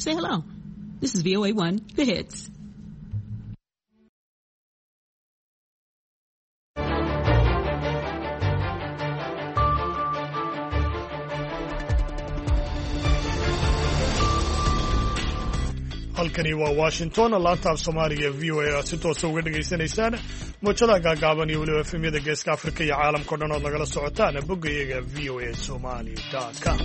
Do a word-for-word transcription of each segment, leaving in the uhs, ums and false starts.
Say hello. This is V O A one, The Hits. Halkani waa Washington, laanta af Soomaaliga V O A aad si toosa uga dhegaysanaysaan mowjadaha gaagaaban iyo weliba efemyada Geeska Afrika iyo caalamka o dhan ood nagala socotaan boggayaga V O A Somali com.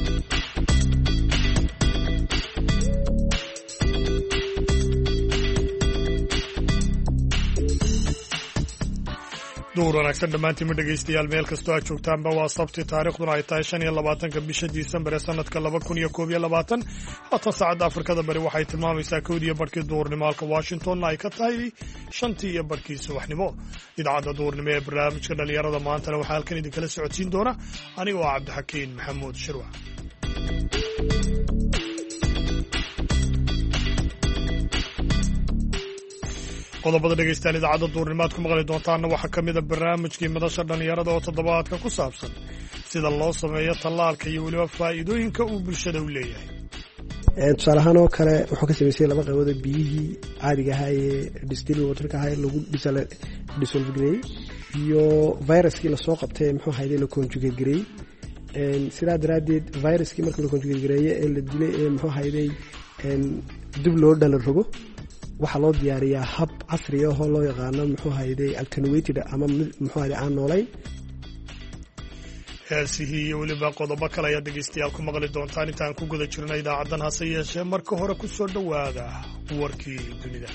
Duhur wanaagsan dhammaantiinma dhegaystayaal, meel kastoo aad joogtaanba. Waa Sabti, taariikhduna ay tahay shan iyo labaatanka bisha Disembar ee sanadka laba kun iyo koob iyo labaatan. Haatan saacadda Afrikada Bari waxay tilmaamaysaa kowdii iyo barhkii duhurnimo, halka Washingtonna ay ka tahay shantii iyo barhkii subaxnimo. Idaacadda duhurnimo ee barnaamijka dhallinyarada maantana waxaa halkan idinkala socodsiin doona aniga oo Cabdixakiin Maxamuud Shirwac. Qodobada dhegaystayaal idaacadda duurnimo aad ku maqli doontaanna waxaa ka mid a barnaamijkii madasha dhallinyarada oo toddobaadka ku saabsan sida loo sameeyo tallaalka iyo weliba faa'iidooyinka uu bulshada u leeyahay. Tusaale ahaan oo kale, wuxuu ka samaysay laba qaybood: biyihii caadiga ahaa ee distilled waterka ahaa lagu dissolve gareeyey iyo viruskii lasoo qabtay, muxuu ahayde, la conjugate gareeyey. Sidaa daraaddeed viruskii marka la conjugate gareeye ee la dilay ee muxuu ahayday dib loo dhala rogo, waxaa loo diyaariyaa hab casri ahoo loo yaqaano, muxuu hayday, attenuated ama muxuu hayday aan noolayn. Heesihii iyo weliba qodobo kale ayaad dhegaystayaal ku maqli doontaan intaan ku guda jirna idaacaddan. Hase yeeshee marka hore ku soo dhowaada warkii dunida.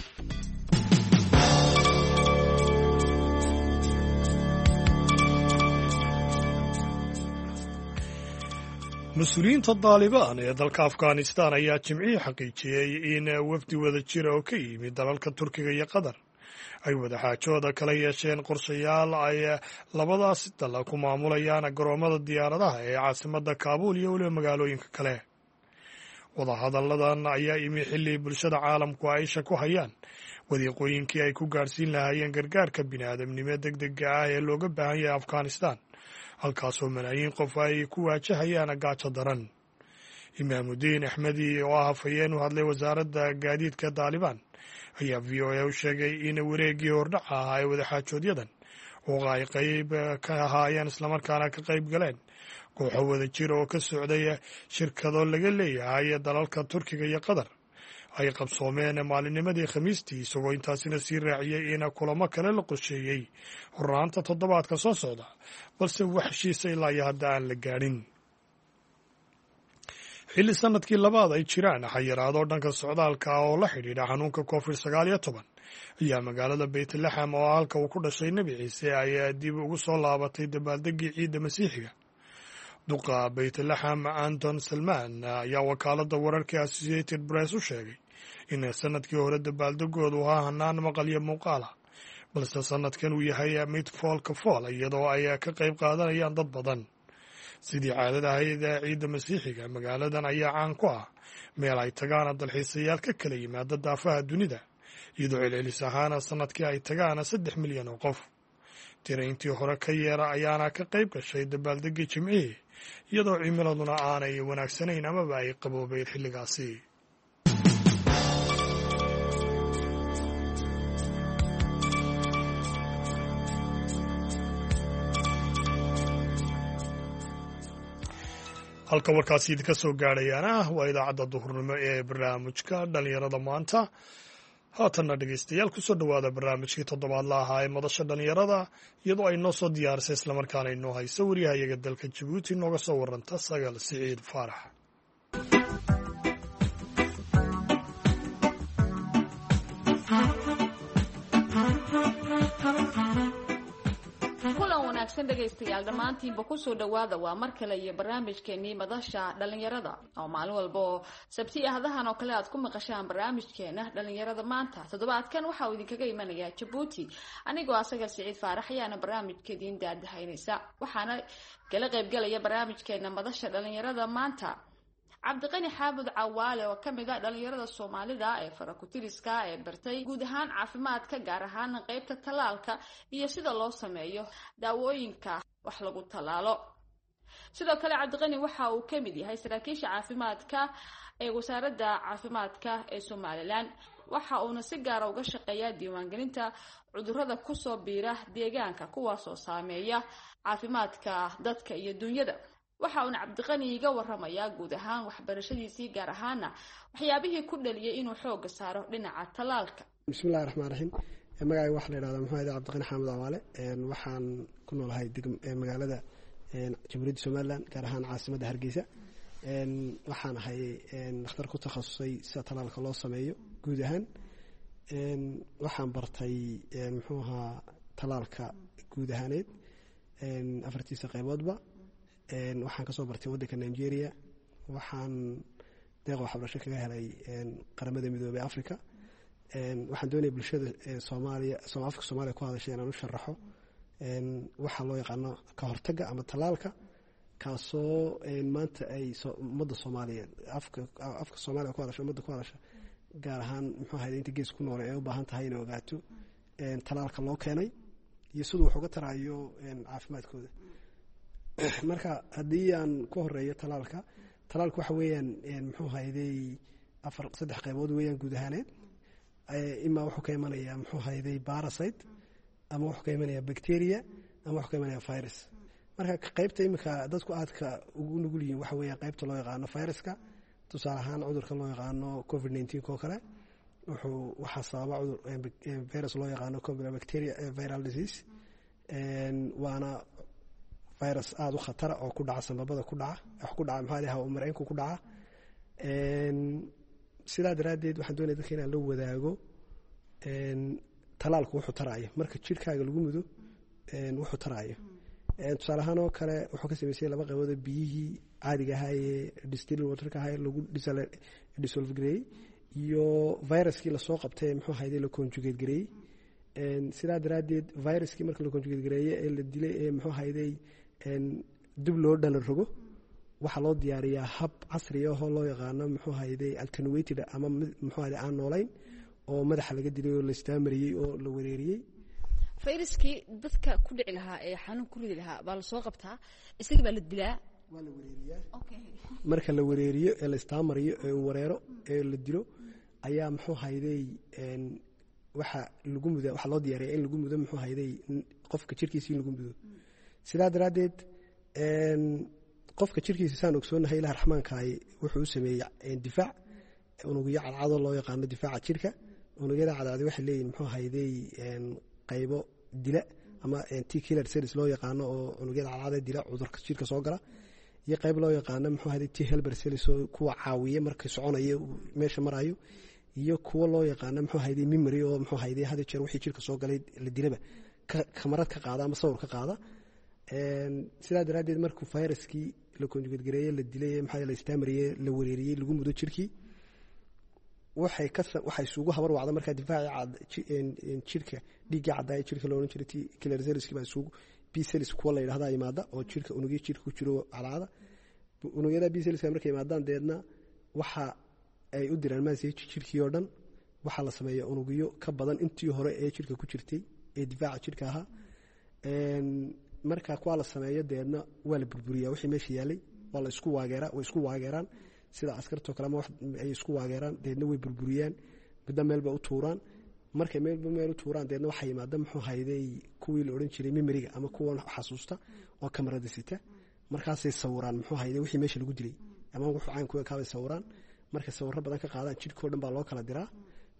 Mas-uuliyiinta Daalibaan ee dalka Afghanistan ayaa Jimcihii xaqiijiyey in wafdi wada jira oo ka yimid dalalka Turkiga iyo Qatar ay wadaxaajooda kala yeesheen qorshayaal ay labadaasi dal ku maamulayaan garoomada diyaaradaha ee caasimadda Kaabuul iyo weliba magaalooyinka kale. Wadahadalladan ayaa imi xilli bulshada caalamku ay isha ku hayaan wadiiqooyinkii ay ku gaadhsiin lahaayeen gargaarka bini'aadamnimo deg dega ah ee looga baahan yahay Afghanistan, halkaasoo malaayiin qof ay ku waajahayaan gaajo daran. Imaamudiin Axmedi oo ah hafayeen u hadlay wasaaradda gaadiidka Daalibaan ayaa V O A u sheegay in wareeggii hordhaca ahaa ee wadaxaajoodyadan oo ay qayb ka ahaayeen islamarkaana ka qayb galeen kooxo wada jir oo ka socday shirkado laga leeyahay dalalka Turkiga iyo Qatar ay qabsoomeen maalinnimadii Khamiistii, isagoo intaasina sii raaciyey in kulamo kale la qorsheeyey horraanta toddobaadka soo socda, balse wax heshiisa ilaa iyo hadda aan la gaadhin. Xilli sanadkii labaad ay jiraan xayiraado dhanka socdaalka ah oo la xidhiidha xanuunka Covid sagaal iyo toban, ayaa magaalada Beytlaxam, oo halka uu ku dhashay Nebi Ciise, ay dib ugu soo laabatay dabaaldegii ciidda Masiixiga. Duqa Beytlaxam Anton Salman ayaa wakaaladda wararka Associated Press u sheegay in sanadkii hore dabaaldegoodu ahaa hanaan maqal iyo muuqaala, balse sanadkan uu yahay mid foolka fool, iyadoo ay ka qayb qaadanayaan dad badan. Sidii caadada ahayd ciidda Masiixiga, magaaladan ayaa caan ku ah meel ay tagaan dalxiisayaal ka kala yimaada daafaha dunida, iyadoo celcelis ahaana sanadkii ay tagaan saddex milyan oo qof. Tira intii hore ka yeera ayaana ka qayb gashay dabaaldegii Jimcihii, iyadoo cimiladuna aanay wanaagsanayn amaba ay qaboobeyn xilligaasi. Halka warkaasi idinka soo gaadhayaana waa idaacadda duhurnimo ee barnaamijka dhallinyarada maanta. Haatanna dhegaystayaal, kusoo dhowaada barnaamijkii toddobaadla ahaa ee madasha dhallinyarada, iyadoo ay noo soo diyaarisay islamarkaana inoo hayso wariyahayaga dalka Jabuuti nooga soo waranta, Sagaal Siciid Faarax. Kulan wanaagsan dhegaystayaal dhammaantiinba, kusoo dhawaada. Waa mar kale iyo barnaamijkeenii madasha dhalinyarada oo maalin walba oo Sabti ahdahan oo kale aad ku maqashaan barnaamijkeena dhalinyarada maanta. Toddobaadkan waxa uu idinkaga imanayaa Jabuuti. Anigoo asaga Siciid Faarax ayaana barnaamijka idiin daadahaynaysa, waxaana kala qaybgalaya barnaamijkeena madasha dhalinyarada maanta Cabdiqani Xaamud Cawaale oo kamid ah dhalinyarada Soomaalida ee farakutiriska ee bartay guud ahaan caafimaadka, gaar ahaan qeybta tallaalka iyo sida loo sameeyo daawooyinka wax lagu tallaalo. Sidoo kale Cabdiqani waxa uu ka mid yahay saraakiisha caafimaadka ee wasaaradda caafimaadka ee Somalilan, waxa uuna si gaara uga shaqeeyaa diiwaangelinta cudurrada kusoo biira deegaanka, kuwaasoo saameeya caafimaadka dadka iyo dunyada. Waxa uuna Cabdiqani iga waramayaa guud ahaan waxbarashadiisii, gaar ahaana waxyaabihii ku dhaliyay inuu xooga saaro dhinaca tallaalka. Bismillahi raxmaan raxiim. Magacayga waxaa la yidhahdaa muxuu ahayde Cabdiqani Xaamud Cawaale. Waxaan ku noolahay magaalada Jamhuuriyadda Somalilan, gaar ahaan caasimadda Hargeysa. Waxaan ahay dhakhtar ku takhasusay sida tallaalka loo sameeyo guud ahaan. Waxaan bartay muxuu ahaa tallaalka guud ahaaneed afartiisa qeyboodba. Waxaan kasoo bartay waddanka Nigeria. Waxaan deeq waxbarasho kaga helay Qaramada Midoobey Africa. Waxaan doonaya bulshada Soomaaliya, afka Soomaaliya ku hadashay, inaan u sharaxo waxaa loo yaqaano ka hortagga ama tallaalka, kaasoo maanta ay ummadda Soomaaliyeed, afka afka Soomaaliya ku hadasha, ummadda ku hadasha, gaar ahaan muxuu ahayd inta gees ku noole, ay u baahan tahay inay ogaato tallaalka loo keenay iyo siduu wax uga taraayo caafimaadkooda. Marka haddii aan ku horeeyo tallaalka, tallaalka waxa weeyaan muxuu hayday afar saddex qeybood weeyaan guud ahaaneed. Imaa wuxuu ka imanayaa muxuu hayday parasite, ama wuxuu ka imanayaa bacteria, ama wuxuu ka imanaya virus. Marka qeybta iminka dadku aadka ugu nugul yihiin waxa weeyaan qeybta loo yaqaano viruska. Tusaale ahaan cudurka loo yaqaano covid nineteen oo kale wuxuu waxaa sababa cudur virus loo yaqaano bacteria viral disease, waana virus aada u khatara oo ku dhaca sambabada, ku dhaca wax ku dhaca maxaa lahaa mareenku ku dhaca. Sidaa daraaddeed waxaan doonaya dadka inaan la wadaago talaalku wuxuu taraayo marka jirkaaga lagu mudo wuxuu taraayo. Tusaale ahaan oo kale wuxuu ka sameysay laba qaybood: biyihii caadiga ahaa ee distilled waterka ahaa lagu dissolve gareeyey iyo viruskii lasoo qabtay muxuu ahayde la conjugate gareeyey. Sidaa daraaddeed viruskii marka la conjugate gareeye ee la dilay ee muxuu ahayday dib loo dhala rogo, waxaa loo diyaariyaa hab casri ahoo loo yaqaano muxuu ahayday attenuated ama muxuu ahayday aan noolayn oo madaxa laga dilay oo la istaamariyey oo la wareeriyey. Fayraskii dadka ku dhici lahaa ee xanuun ku ridi lahaa baa lasoo qabtaa, isagii baa la dilaa? Waa la wareeriyaa. Marka la wareeriyo ee la istaamariyo ee uu wareero ee la dilo ayaa muxuu hayday waxa lagu muda, waxaa loo diyaariyaa in lagu mudo muxuu hayday qofka jirkiisa in lagu mudo. Sidaa daraaddeed qofka jirkiisa, saan ogsoonahay, Ilaah raxmaankaay wuxuu u sameeyey difaac, unugyo cadcado loo yaqaano difaaca jirka. Unugyada cadcadi waxay leeyihin muxuu hayday qaybo dila ama T killer cells loo yaqaano oo unugyada cadcada dila cudurka jirka soo gala, iyo qayb loo yaqaano muxuu hayday T helper cells oo kuwa caawiya marka soconayo meesha marayo, iyo kuwa loo yaqaano muxuu hayday memory oo muxuu hayday had jeer wixii jirka soo galay la dilaba kamarad ka qaada ama sawir ka qaada. Sidaa daraaddeed markuu viruskii la conjugate gareeye, la dilay, maxaa la istaamariyey, la wareeriyey, lagu mudo jirkii, waxay ka waxay isugu habar wacda markaa difaaci jirka, dhiiggii caddaaya jirka loo odhan jiray T killer cellski baa isugu B cells kuwa la yidhahdaa yimaada oo jirka unugyo jirka ku jiro cadcada. Unugyada B cellska markay yimaadaan deedna waxa ay u diraan message jirkii oo dhan. Waxaa la sameeyaa unugyo ka badan intii hore ee jirka ku jirtay ee difaaca jirka ahaa. Marka kuwaa la sameeyo deedna waa la burburiyaa wixii meesha yaalay, waa la isku waageeraa, way isku waageeraan sida askartoo kale ama ay isku waageeraan, deedna way burburiyaan, midna meel bay u tuuraan. Markay meelba meel u tuuraan deedna waxaa yimaada muxuu hayday kuwii la odhan jiray memoryga ama kuwan xasuusta oo kamarada sita. Markaasay sawiraan muxuu hayday wixii meesha lagu dilay ama wuxuu caynku ekaabay sawiraan. Markay sawirro badan ka qaadaan jidhkao dhan baa loo kala diraa.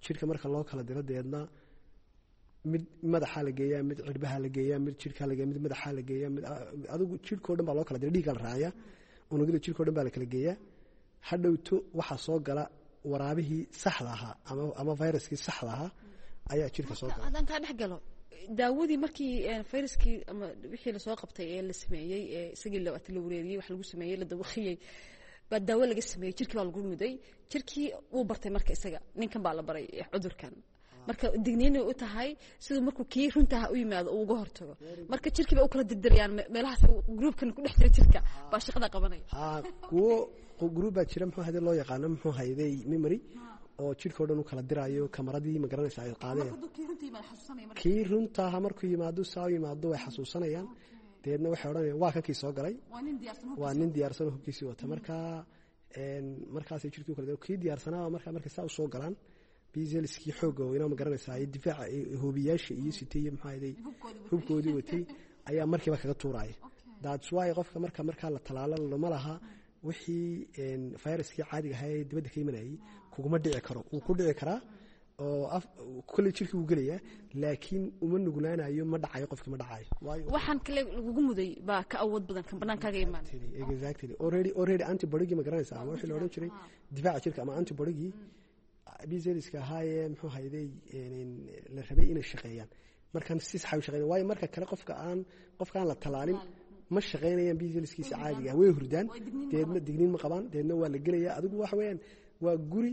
Jidhka marka loo kala diro deedna mid madaxaa la geeyaa, mid cirbaha la geeyaa, mid jidhkaa la geeyaa, mid madaxaa la geeyaa, mid adigu jidhkao dhan baa loo kala dira, dhiiggaa la raaciyaa, unugyada jidhkao dhan baa la kala geeyaa. Hadhowto waxaa soo gala waraabihii saxda ahaa ama ama viruskii saxda ahaa ayaa jirka soo gala. Haddaan kaa dhex galo, daawadii markii fayraskii ama wixii lasoo qabtay ee la sameeyey ee isagii la wareeriyey, wax lagu sameeyey, la dawakiyey, baa daawo laga sameeyey, jirkii baa lagu muday, jirkii wuu bartay. Marka isaga ninkan baa la baray cudurkan, marka digniinay u tahay siduu markuu kii runtaha u yimaado uu uga hortago. Marka jirkii bay u kala dirdirayaan meelahaas, groupkan ku dhex jira jirka baa shaqada qabanaya. Ha, kuwo group baa jira muxuu hayday loo yaqaano muxuu hayday memory oo jidhka o dhan u kala diraayo kamaradii, ma garanaysa, ay qaadeen. Kii runtaha markuu yimaado saa u yimaado way xasuusanayaan. Deedna waxay odhanayaan waa kankii soo galay, waa nin diyaarsan oo hubkiisii wata. Marka markaasay jirkii u kala kii diyaarsanaa markaa markay saa usoo galaan B cellskii xoogga weynaa, ma garanaysaa, iyo difaaca hoobiyaasha iyo sitay iyo maxaa ahaday hubkoodii watay ayaa markiiba kaga tuuraya. That's why qofka marka markaa la talaalo lama laha wixii viruskii caadiga ahaa ee dibadda ka imanayay kuguma dhici karo. Wuu ku dhici karaa oo kolley jirkii wuu gelayaa, laakiin uma nuglaanayo, ma dhacayo, qofkii ma dhacayo. Waxaan kale lagugu muday baa ka awood badan kan banaankaaga imaan. Exactly, already already antibodygii, ma garanaysaa, ama wixii la odhan jiray difaaca jirka ama antibodygii B cellska ahaayee muxuu hayday la rabay inay shaqeeyaan markan si sax u shaqeeyaan. Waayo marka kale qofka aan qofka aan la talaalin ma shaqeynayaan B cellskiisa caadiga ah, way hurdaan, deedna digniin ma qabaan, deedna waa la gelaya. Adigu waxa weeyaan waa guri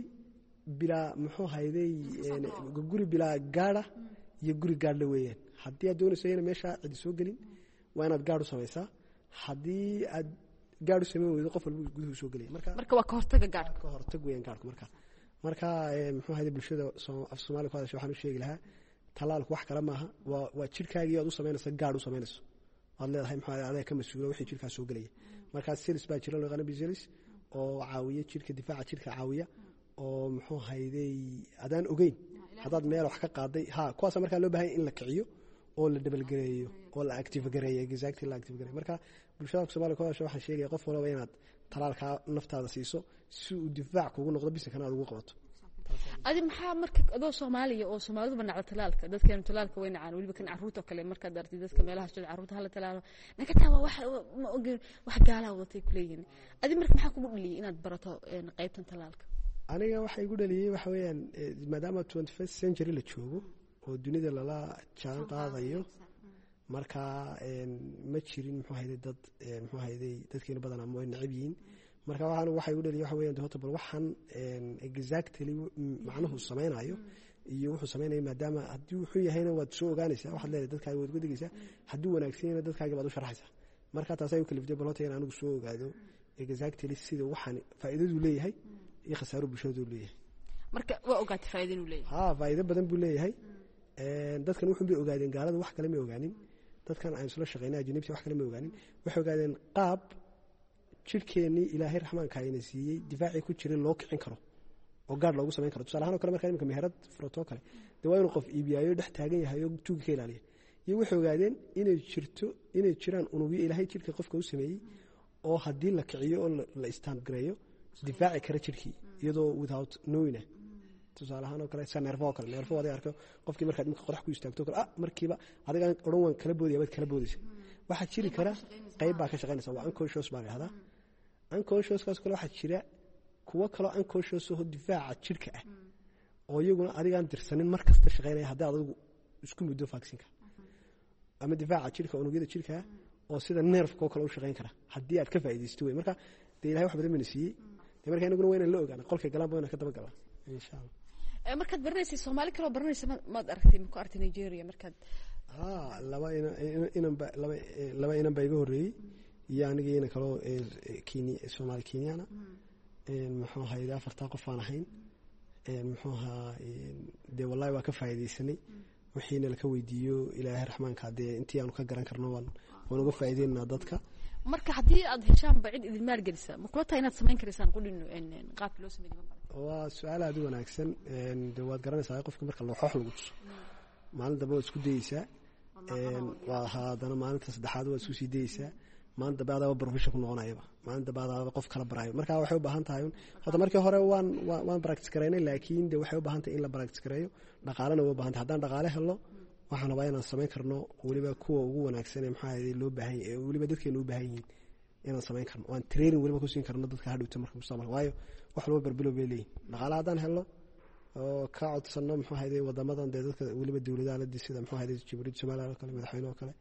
bilaa muxuu hayday guri bilaa gaadha iyo guri gaadhla weeyaan. Haddii aad doonayso ina meesha cidi soo gelin, waa inaad gaadh u samaysaa. Haddii aad gaadh u samayn weydo, qof walba guduhu soo gelaya. Marka marka waa ka hortaga gaadhka. Ka hortag weeyaan gaadhku. Marka marka muxuu hayday bulshada af Soomaaliya ku hadasha waxaan u sheegi lahaa talaalku wax kale maaha, waa waa jirkaagii aad u samaynayso gaadh u samaynayso, waad leedahay muxuu adaa ka mas-uula wixii jirkaa soo gelaya. Markaa cells baa jira loo yaqaano B cells oo caawiya jirka, difaaca jirka caawiya, oo muxuu hayday adaan ogeyn haddaad meel wax ka qaaday ha kuwaasa markaa loo baahanya in la kiciyo oo la dabalgareeyo oo la active gareeyo, exactly, la active gareeyo. Marka bulshada Soomaaliya ku hadasha waxaan sheegaya qof walba inaad talaalkaa naftaada siiso si uu difaac kugu noqdo, bisinkana aad ugu qabato. Adi maxaa marka adoo Soomaaliya oo Soomaaliduba nacda talaalka, dadkeenu talaalka way nacaan, weliba kan carruurta oo kale, markaad aragtid dadka meelaha jooga carruurta hala talaalo, nakataa waa wax ma ogeen, wax gaalaa wadatay kuleeyihiin. Adi marka maxaa kugu dhaliyay inaad barato qaybtan talaalka? Aniga waxa igu dhaliyey waxa weeyaan maadaama twenty first century la joogo oo dunida lala jaan qaadayo, marka ma jirin muxuu hayday dad muxuu hayday dadkeena badan ama way necab yihiin. Marka waxaan waxa igu dhaliyay waxa weeyaan horta bal waxaan exactly macnuhu sameynayo iyo wuxuu sameynayo, maadaama haddii wuxuu yahayna waad soo ogaanaysaa, waxaad leedahay dadkaaga waad uga digaysaa, hadduu wanaagsan yahayna dadkaaga baad u sharaxaysaa. Marka taas ay u kaliftay bal horta in anigu soo ogaado exactly sida waxaan faa'iidadu leeyahay iyo khasaaro bulshadu leeyahay. Marka waa ogaatay faa'iido inuu leeyahay? Ha, faa'iido badan buu leeyahay. Dadkan wuxuun bay ogaadeen, gaalada wax kale ma ogaanin, dadkan aan isla shaqeynay ajnibta wax kale ma ogaanin. Waxay ogaadeen qaab jirkeennii Ilaahay raxmaanka ina siiyey difaacii ku jiray loo kicin karo oo gaadh loogu samayn karo. Tusaale ahaan oo kale, markaa imika meherad furato kale, dee waa inuu qof iibiyaayo dhex taagan yahay oo tuuga ka ilaaliya. Iyo waxay ogaadeen inay jirto inay jiraan unugyo Ilaahay jirka qofka u sameeyey oo haddii la kiciyo oo la stand gareeyo difaaci kara jirkii iyadoo without knowing. Tusaale ahaan oo kale sa neerfo oo kale, neerfo adig arko qofkii markaad imika qodax ku istaagto kale, ah, markiiba adigaan odhan waan kala boodaya baad kala boodaysa. Waxaa jiri kara qayb baa ka shaqaynaysa, waa unconscious baa la yidhahdaa. Unconsciouskaas kale waxaa jira kuwo kaloo unconscious oo difaaca jirka ah oo iyaguna adigaan dirsanin mar kasta shaqaynaya haddii aad adigu isku muddo vaccineka, ama difaaca jirka unugyada jirka oo sida nerfka oo kale u shaqayn kara haddii aad ka faa'iidaysto wey. Marka dee Ilahay wax badan bayna siiyey, dee marka inaguna waa inaan la ogaana qolkay galaan ba inaan ka daba galaa, insha Allah. Markaad baranaysay Soomaali kaloo baranaysa maad aragtay, ma ku aragtay Nigeria markaad? Ha, laba inanba laba laba inan baa iga horreeyey iyo aniga inan kaloo kenya, Soomaali Kenyana, muxuu ahayd afartaa qof aan ahayn. Muxuu ahaa dee wallahi waa ka faa'iidaysanay wixiina laka weydiiyo Ilaahay raxmaanka, dee intii aanu ka garan karno waan waan uga faa'iideynaa dadka. Marka haddii aad heshaanba cid idin maalgelisa, ma kula tahay inaad samayn karaysaan qudhino qaabka loo sameeyay? Waa su-aal aada u wanaagsan. De waad garanaysaa qofka marka looxoox lagu tuso, maalin dambe waad isku dayeysaa, waa haddana maalinta saddexaad waad isku sii dayeysaa, maalin dambe adaaba profession ku noqonayaba, maalin dambe adaaba qof kala baraayo. Marka waxay u baahan tahay horta markii hore waan waan practice gareynay, laakiin de waxay u baahan tahay in la practice gareeyo, dhaqaalena way u baahan tahay. Haddaan dhaqaale helno waxaan rabaa inaan samayn karno weliba kuwa ugu wanaagsan ee maxaa ahayd loo baahan yahay, weliba dadkeena u baahan yihiin inaan samayn karno, waan training weliba ku siin karno dadka hadhowta marka mustaqbalka. Waayo wax walba barbilow bay leeyihin. Dhaqaale haddaan helno oo ka codsano muxuu ahayde wadamadan dee dadka weliba dowladaha la sida muxuu ahayde Jamhuuriyadda Soomaaliya oo kale madaxweyne oo kale,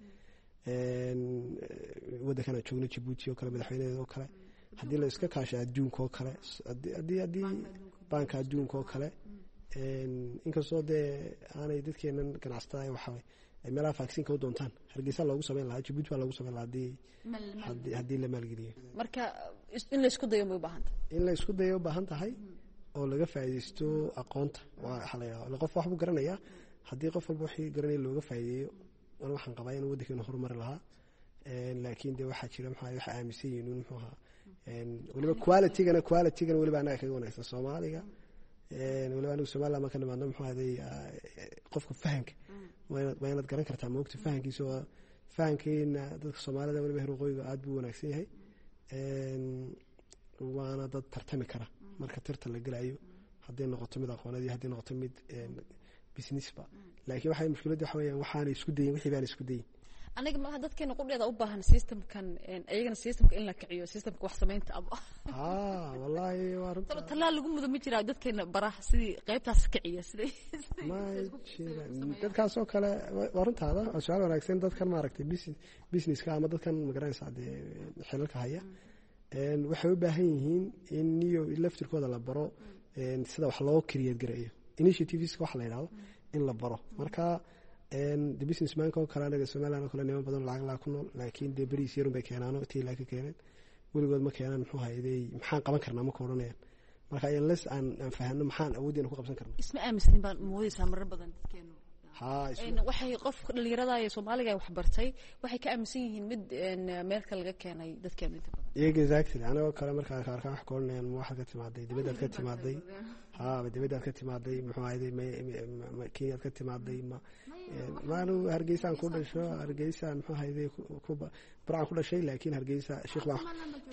waddankan aan joogno Jabuuti oo kale madaxweyneheeda oo kale, haddii la iska kaasho adduunka oo kale, haddii haddii baanka adduunka oo kale, inkastoo dee aanay dadkeenan ganacsatada waxa ay meelaha vaccine-ka u doontaan, Hargeysa loogu samayn lahaa, Jabuuti baa loogu samayn lahaa haddii haddii haddii la maalgeliyo. Marka in la isku dayo may u baahan tahay? In la isku dayo u baahan tahay oo laga faa'iidaysto aqoonta. Waxaa la yidhahdaa qof wax buu garanayaa, haddii qof walba wixii garanaya looga faa'iideeyo, ana waxaan qabaa in waddankeenu horumari lahaa. Laakiin dee waxaa jira maxaa waxa aaminsan yihiin muxuu ahaa weliba qualitygana qualitygana weliba anaga kaga wanaagsan Soomaaliga. Weliba anigu Somaliland marka nimaadno muxuu ahaday qofka fahanka waa inaad garan kartaa maogta fahankiisa oo fahankeena dadka Soomaalida weliba heer waqooyiga aad buu wanaagsan yahay, waana dad tartami kara marka tirta la gelayo, hadday noqoto mid aqooneed iyo hadday noqoto mid businessba. Laakiin waxay mushkiladda waxa weeyaan waxaanay isku dayin, wixii baan isku dayin. Aniga malaha dadkeena qudheeda u baahan systemkan, iyagana systemka in la kiciyo, systemka wax samaynta aba. Haa, wallaahi waa runta. Tallaal lagu mudo ma jiraa dadkeena baraha sidii qaybtaas kiciya sidii? Ma jiraan dadkaas oo kale. Waa runtaada, waa su-aal wanaagsan. Dadkan maaragtay businesska ama dadkan magaranaysaa dee xilalka haya waxay u baahan yihiin in niyo laftirkooda la baro sida wax loo create gareeyo, initiativeska waxa la yidhahdo in la baro. Marka the businessmanka oo kale, anaga Somaliland oo kale niman badan lacag laa ku nool, laakiin dee beriis yarun bay keenaano tii laa ka keeneen weligood ma keenaan. Muxuu hayday maxaan qaban karnaa ma ka odhanayaan. Marka unless aan aan fahanno maxaan awooddeena ku qabsan karna. Isma aaminsanin baan moodaysaa marar badan dadkeenu. Haa, waxay qofka dhalinyarada ee Soomaaliga wax bartay waxay ka aaminsan yihiin mid meel kale laga keenay dadkeenu inta badan. Exactly, anagoo kale markaa arkaan wax ka odhanayaan ma waxaad ka timaaday dibaddaad ka timaaday, haa dibaddaad ka timaaday, muxuu ahayday ma Kenyaad ka timaaday, ma maanu Hargeysaan ku dhasho, Hargeysaan muxuu ahayday ku Burcaan ku dhashay, laakiin Hargeysa shiikh baa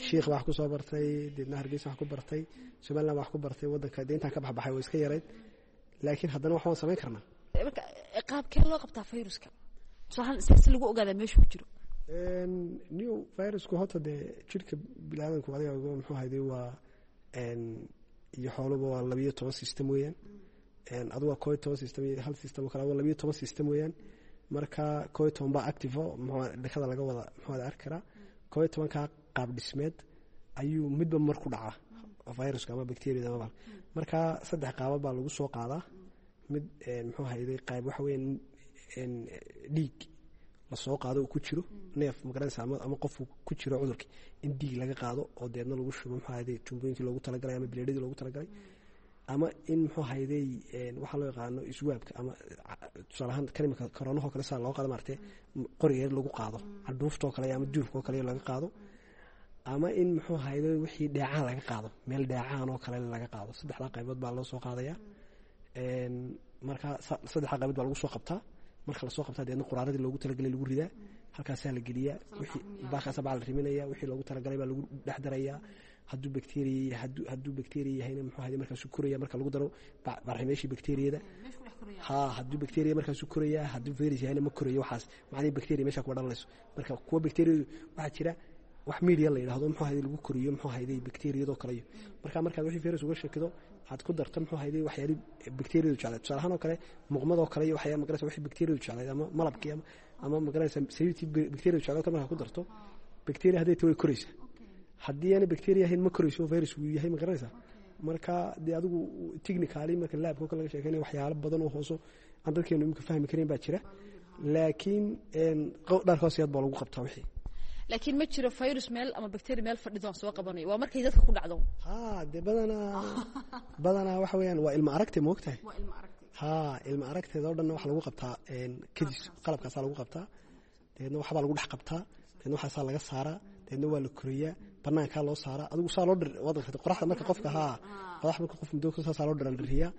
shiikh baa wax ku soo bartay, deedna Hargeysa wax ku bartay, Somaliland wax ku bartay, waddanka dee intaan ka baxbaxay way iska yarayd, laakiin haddana wax waan samayn karnaa. Marka qaabkee loo qabtaa viruska tusaale si lagu ogaadaa meesha ku jiro? New virusku horta dee jirka biniaadanku adiga muxuu ahayday waa iyo xooluba waa labiyo toban system weeyaan. Adu waa koo iyo toban system iyo hal system oo kale, waa labiyo toban system weeyaan. Marka koo iyo toban baa active oo muxuu dhakada laga wada muxuu arki karaa. Koo iyo tobankaa qaab dhismeed ayuu midba mar ku dhacaa viruska ama bacteriada ama. Marka saddex qaabab baa lagu soo qaadaa. Mid muxuu ahayday qayb waxa weeyaan dhiig lasoo qaado uu ku jiro neef magaranaysa ama ama qofku ku jiro cudurki, in dhiig laga qaado oo deedna lagu shubo muxuu ahayday tuubooyinkii loogu talagalay ama bileedhadii loogu talagalay, ama in muxuu ahayday waxaa loo yaqaano iswaabka ama tusaale ahaan kan imika koronahoo kale saa loo qaado maaragtay qoriga yar lagu qaado cadhuuftoo kale ama duufkoo kale laga qaado, ama in muxuu ahayday wixii dheecaan laga qaado, meel dheecaan oo kale laga qaado. Saddexdaa qaybood baa loo soo qaadaya. Marka saddexdaa qaybood baa lagu soo qabtaa. Marka lasoo qabtaa deedna quraaradii loogu talagalay lagu ridaa, halkaasaa la geliyaa, wixii baakaasa baa la riminaya, wixii loogu talagalay baa lagu dhex darayaa. Hadduu bacteria hadduu hadduu bacteria yahayna muxuu ahayday markaasuu koraya marka lagu daro barximeeshii bacteriyada. Haa, hadduu bacteria markaasuu koraya, hadduu virus yahayna ma korayo. Waxaas macnihii bacteria meesha kuma dhalanayso. Marka kuwa bacteriyadu waxaa jira wax media la yidhaahdo muxuu ahayday lagu koriyo muxuu ahayday bacteriyadoo kale iyo marka markaad wixii virus uga shakido aad ku darto muxuu ahayday waxyaali bacteriyadu jeclayd, tusaale ahaan oo kale muqmadoo kale iyo waxyaa magaraysa wixii bacteriyadu jeclayd ama malabkii ama ama magaraysa saliidtii bacteriyadu jeclayd kale markaad ku darto, bacteria hadday tahay way koraysaa, haddii aanay bacteria ahayn ma korayso, virus uu yahay magaraysa. Marka dee adigu technically marka labka kale laga sheekeynaya waxyaalo badan oo hooso aan dadkeenu imika fahmi karin baa jira, laakiin dharka hoosiyaad baa lagu qabtaa wixii. Laakiin ma jiro virus meel ama bacteria meel fadhido aan soo qabanayo, waa markay dadka ku dhacdo. Haa, dee badanaa badanaa waxa weeyaan waa ilma aragtay moogtahay. Waa ilma aragtay. Haa, ilma aragteeda oo dhanna waxa lagu qabtaa kadis, qalabkaasaa lagu qabtaa, dabeedna waxbaa lagu dhex qabtaa, dabeedna waxaasaa laga saaraa, dabeedna waa la koriyaa, banaankaa loo saaraa, adigu saa loo dhir waad gartay qoraxda marka qofka haa qorax marka qof muddo saasaa loo dhiraldhiriyaa.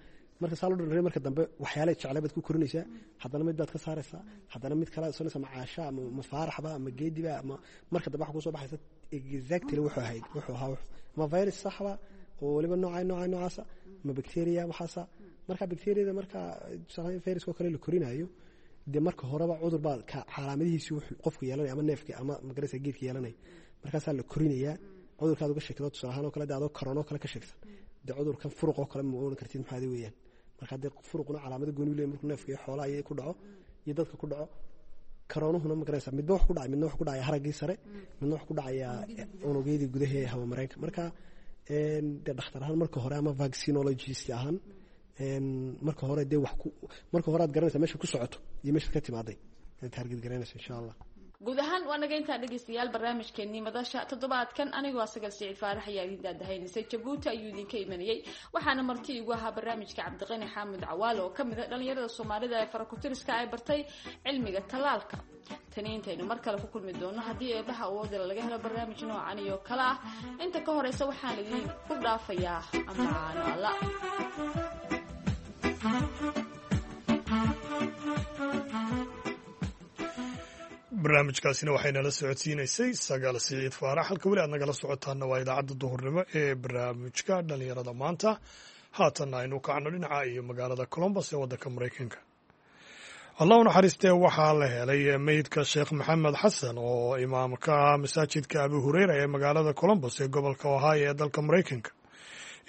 Marka saa loo dhiraldhiriya marka dambe waxyaalaha jeclay baad ku korinaysaa, haddana mid baad ka saaraysaa, haddana mid kale sonaysa, ma caasha ama ma faaraxba ama geediba ama marka dambe waxa kusoo baxaysa exactly wuxuu ahayd wuxuu ahaa ama virus saxba oo weliba nooca nooca noocaasa ama bacteria waxaasa. Marka bacteriada marka tusaale viruska oo kale la korinayo dee marka horeba cudur baa calaamadihiisi wuxuu qofku yeelanaya ama neefki ama magaraysa geedka yeelanaya, markaasaa la korinayaa cudurkaad uga sheegto. Tusaale ahaan oo kale dee adoo karoonoo kale ka sheegsan dee cudurkan furuq oo kale ma oran kartid maxaadi weeyaan. Marka dee furuquna calaamado gooni u leeyahay markuu neefka iyo xoolaha iyo ku dhaco iyo dadka ku dhaco. Karoonuhuna magaraysa midba wax ku dhacay, midna wax ku dhacaya haraggii sare, midna wax ku dhacaya unugyadii gudaha ee hawamareenka. Marka dee dhakhtar ahaan marka hore ama vaccinologist ahaan marka hore dee wax ku marka hore aad garanaysaa meesha ku socoto iyo meesha ka timaaday aad target garanaysa insha Allah. Guud ahaan waa naga intaa dhegeystayaal barnaamijkeenii madasha toddobaadkan. Anigoo Asagal Siciid Faarax ayaa idin daadahaynaysay, Jabuuti ayuu idinka imanayay, waxaana marti igu ahaa barnaamijka Cabdiqani Xaamud Cawaale oo kamid a dhalinyarada Soomaalida ee farakutiriska ay bartay cilmiga tallaalka. Tani intaynu mar kale ku kulmi doono haddii eebaha awoodala laga helo barnaamij noocan iyo kale ah, inta ka horeysa waxaan idin ku dhaafayaa amaano alla. Barnaamijkaasina waxaynala socodsiinaysay Sagaal Siciid Faarax. Halka weli aad nagala socotaana waa idaacadda duhurnimo ee barnaamijka dhalinyarada maanta. Haatanna aynu kacno dhinaca iyo magaalada Colombos ee waddanka Maraykanka. Allah u naxariistee, waxaa la helay meydka Sheekh Maxamed Xasan oo imaamka ah masaajidka Abu Hureyra ee magaalada Colombos ee gobolka Ohio ee dalka Maraykanka.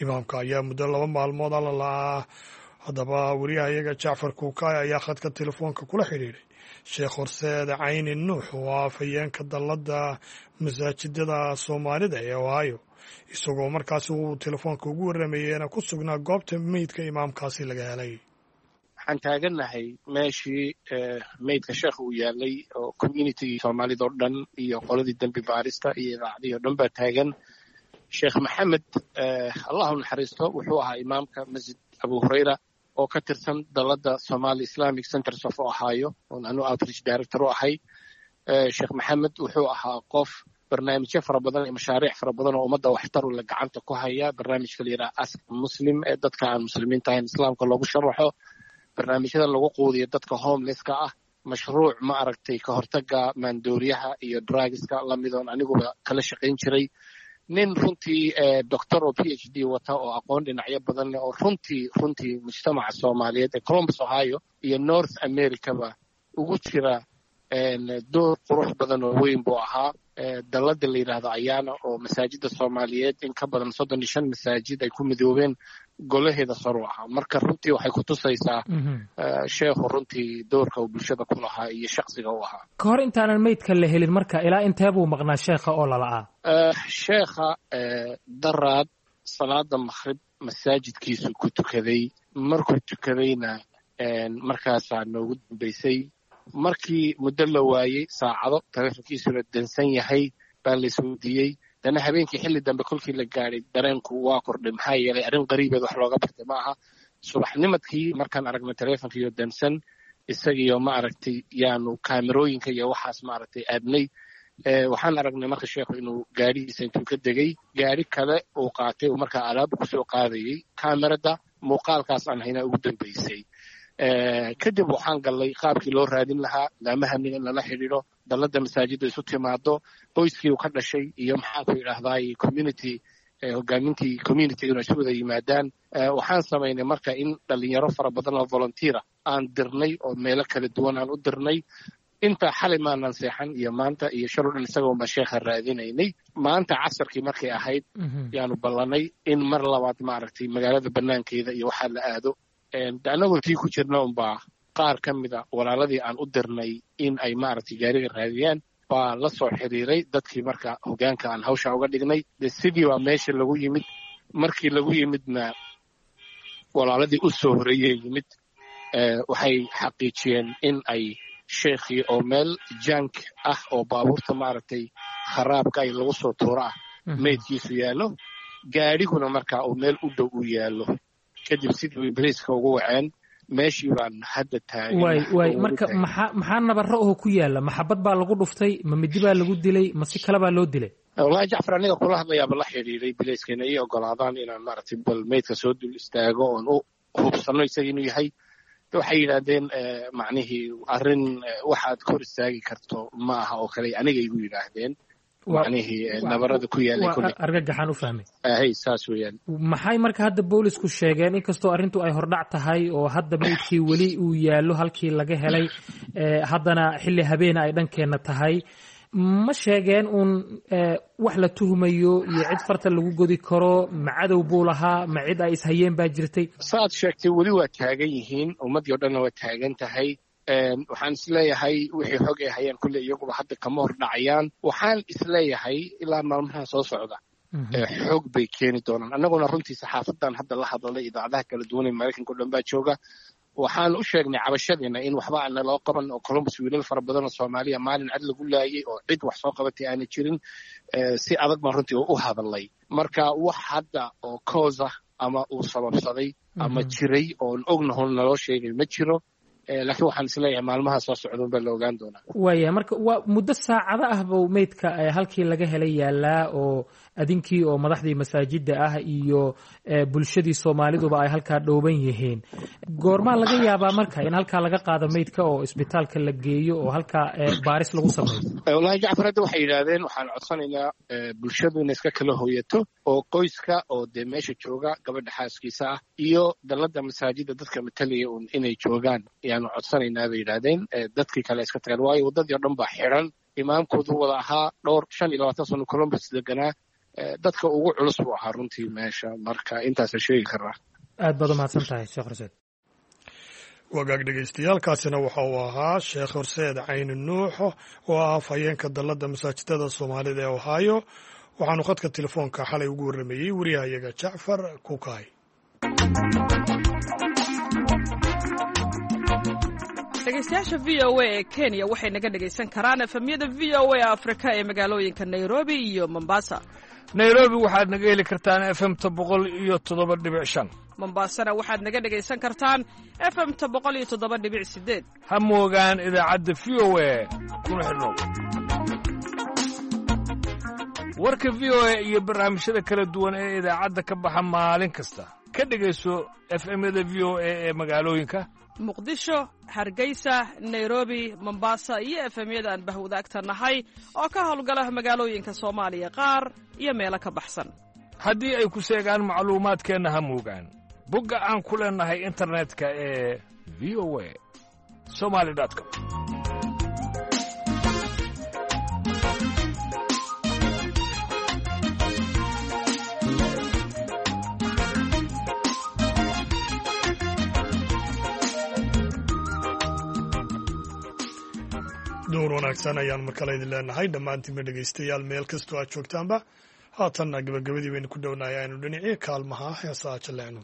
Imaamka ayaa muddo laba maalmood alla la-ah. Haddaba wariyahayaga Jacfar Kuukaay ayaa khadka telefoonka kula xidhiidhay Sheekh Horseed Cayni Nuux oo ah afhayeenka dalladda masaajidada Soomaalida ee Ohio, isagoo markaasi uu telefoonka ugu warramayeyna ku sugnaa goobta meydka imaamkaasi laga helay. Waxaan taagannahay meeshii meydka sheekha uu yaalay oo communitygii soomaalida oo dhan iyo qoladii dembi baarista iyo idaacadihii o dhan baa taagan. Sheekh Maxamed, Allah u naxariisto, wuxuu ahaa imaamka Masjid Abu Hureyra oo ka tirsan dalladda Somali Islamic Centers of Ohio oon anu outreach director u ahay. Sheekh Maxamed wuxuu ahaa qof barnaamijyo fara badan iyo mashaariic fara badan oo ummadda waxtar u la gacanta ku haya. Barnaamijka la yidhaha Ask Muslim ee dadka aan muslimiinta ahayn islaamka loogu sharaxo, barnaamijyada lagu quudiyo dadka homelesska ah, mashruuc ma aragtay ka hortaga maandooriyaha iyo drugska lamidoon aniguba kala shaqayn jiray. Nin runtii doctor oo P H D wata oo aqoon dhinacyo badan leh oo runtii runtii mujtamaca soomaaliyeed ee Columbus Ohio iyo North Americaba ugu jira door qurux badan oo weyn buu ahaa. Dalladda la yidhaahdo Ayaana oo masaajida soomaaliyeed in ka badan soddon iyo shan masaajid ay ku midoobeen golaheeda saru ahaa. Marka runtii waxay ku tusaysaa sheekhu runtii doorka uu bulshada ku lahaa iyo shaksiga u ahaa. Ka hor intaanan meydka la helin marka ilaa intee buu maqnaa sheekha oo lala'aa? Sheekha daraad salaada makhrib masaajidkiisu ku tukaday. Markuu tukadayna markaasaa noogu dambaysay. Markii muddo la waayey saacado taleefonkiisuna dansan yahay baa la isweydiiyey. Dana habeenkii xilli dambe kolkii la gaadhay dareenku waa kordhay, maxaa yeelay arrin qariibeed wax looga bartay ma aha. Subaxnimadkii markaan aragnay taleefonkiiyo dansan isagiyo ma aragtay yaanu kaamerooyinka iyo waxaas ma aragtay aadnay. Waxaan aragnay marka sheekhu inuu gaadhigiisa intuu ka degay gaadhi kale uu qaatay uu markaa alaab kusoo qaadayey. Kaamerada muuqaalkaas aan haynaa ugu dambaysay. Kadib waxaan gallay qaabkii loo raadin lahaa, laamaha amniga in lala xidhiidho, dalladda masaajidda isu timaado, qoyskii uu ka dhashay iyo maxaanku yidhaahdaay community hogaamintii community inay isu wada yimaadaan. Waxaan samaynay marka in dhalinyaro fara badan oo volunteera aan dirnay oo meelo kala duwan aan u dirnay. Intaa xalay maanan seexan iyo maanta iyo shal o dhan isagoon baan sheekha raadinaynay. Maanta casarkii markay ahayd yaanu ballanay in mar labaad maaragtay magaalada banaankeeda iyo waxaa la aado. Annagoo tii ku jirna unbaa qaar ka mida walaaladii aan u dirnay in ay maaragtay gaariga raadiyaan baa la soo xiriiray dadkii marka hogaanka aan hawsha uga dhignay. De sidii baa meesha lagu yimid. Markii lagu yimidna walaaladii u soo horeeyey yimid waxay xaqiijiyeen in ay sheekhii oo meel jank ah oo baabuurta maaragtay kharaabka ay lagu soo tuuro ah meydkiisu yaallo, gaadhiguna markaa uu meel u dhow u yaallo. Kadib sidii boliiska ugu waceen meeshii baan hadda taagan. Waay waay, marka maxaa maxaa nabaro oo ku yaalla? Maxabad baa lagu dhuftay, ma midi baa lagu dilay, ma si kale baa loo dilay? Wallahi Jacfar, aniga kula hadlayaaba la xidhiiray bilayska inay ii ogolaadaan inaan maaragtay bal meydka soo dul istaago oon u hubsano isaga inuu yahay. Waxay yidhaahdeen macnihii arrin waxaad kor istaagi karto ma aha oo kale aniga igu yidhaahdeen, macnihii nabarada ku yaalay kulli argagaxaan u fahmay. Hay, saas weeyaan. Maxay marka hadda boolisku sheegeen, inkastoo arrintu ay hordhac tahay oo hadda meydkii weli uu yaallo halkii laga helay, haddana xilli habeena ay dhankeenna tahay, ma sheegeen uun wax la tuhumayo iyo cid farta lagu godi karo? Ma cadow buu lahaa, ma cid ay ishayeen baa jirtay? Saad sheegtay, weli waa taagan yihiin, ummaddii o dhanna waa taagan tahay. Waxaan isleeyahay wixii xog ay hayaan kulle iyaguba hadda kama hor dhacayaan. Waxaan isleeyahay ilaa maalmaha soo socda xog bay keeni doonaan. Annaguna runtii saxaafadan hadda la hadlalay, idaacadaha kala duwan ee Maraykanka o dhan baa jooga. Waxaan u sheegnay cabashadeena in waxba aan naloo qaban oo Columbus wiilal fara badan oo Soomaaliya maalin cad lagu laayay oo cid wax soo qabatay aana jirin. Si adag baan runtii u hadalnay. Marka wax hadda oo cause ah ama uu sababsaday ama jiray oon ognahon naloo sheegay ma jiro, laakiin waxaan isleeyahay maalmaha soo socdan baa la ogaan doonaa. Waaya, marka waa muddo saacado ah buu meydka halkii laga helay yaalaa oo adinkii oo madaxdii masaajidda ah iyo bulshadii Soomaaliduba ay halkaa dhooban yihiin. Goormaa laga yaabaa marka in halkaa laga qaado meydka oo isbitaalka la geeyo oo halkaa baaris lagu sameeyo? Wallahi Jacfar, hadda waxay yidhaahdeen waxaan codsanaynaa bulshadu inay iska kala hooyato oo qoyska oo dee meesha jooga, gabadha xaaskiisa ah iyo dalladda masaajidda dadka matalaya un inay joogaan ayaanu codsanaynaa bay yidhaahdeen. Dadkii kale iska tagaan, waayo waddadii o dhan baa xidhan. Imaamkoodu wada ahaa dhowr shan iyo labaatan sano Columbus deganaa, dadka ugu culus buu ahaa runtii meesha. Marka intaasa sheegi karaa. Aad baad umahadsan tahay, Sheekh Horseed. Wagaag dhegeystayaaalkaasina waxa uu ahaa Sheekh Horseed Cayni Nuux oo ah afhayeenka dalladda masaajidada Soomaalida ee Ohio. Waxaanu khadka telefoonka xalay ugu warrameeyey wariyahayaga Jacfar Kukaay. Dhegeystayaasha V O A ee Kenya waxay naga dhegaysan karaan efemyada V O A Afrika ee magaalooyinka Nairobi iyo Mombasa. Nairobi waxaad naga heli kartaan efemta boqol iyo toddoba dhibic shan. Mombasana waxaad naga dhegaysan kartaan efemta boqol iyo toddoba dhibic sideed. Ha moogaan idaacadda V O A, kuna xidhnow warka V O A iyo barnaamijyada kala duwan ee idaacadda ka baxa maalin kasta. Ka dhegayso efemyada V O A ee magaalooyinka Muqdisho, Hargeysa, Nairobi, Mombasa iyo efemyada aan bahwadaagta nahay oo ka howlgala magaalooyinka Soomaaliya qaar iyo meelo ka baxsan. Haddii ay ku seegaan macluumaadkeenna, ha moogaan bogga aan ku leennahay internetka ee V O A somali com. Door wanaagsan ayaan markale idin leenahay dhammaantiinba dhegaystayaal, meel kastoo aad joogtaanba. Haatanna gabagabadii baynu ku dhownahay, aynu dhinacii kaalmaha heesaa jaleecno.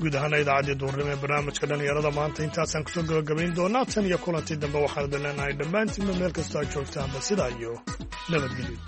Guud ahaana idaacaddii duurnimo ee barnaamijka dhallinyarada maanta intaasaan kusoo gabagabayn doonaa. Tan iyo kulantii dambe waxaan idin leenahay dhammaantiinba meel kastoo aad joogtaanba sidaa iyo nabadgelyo.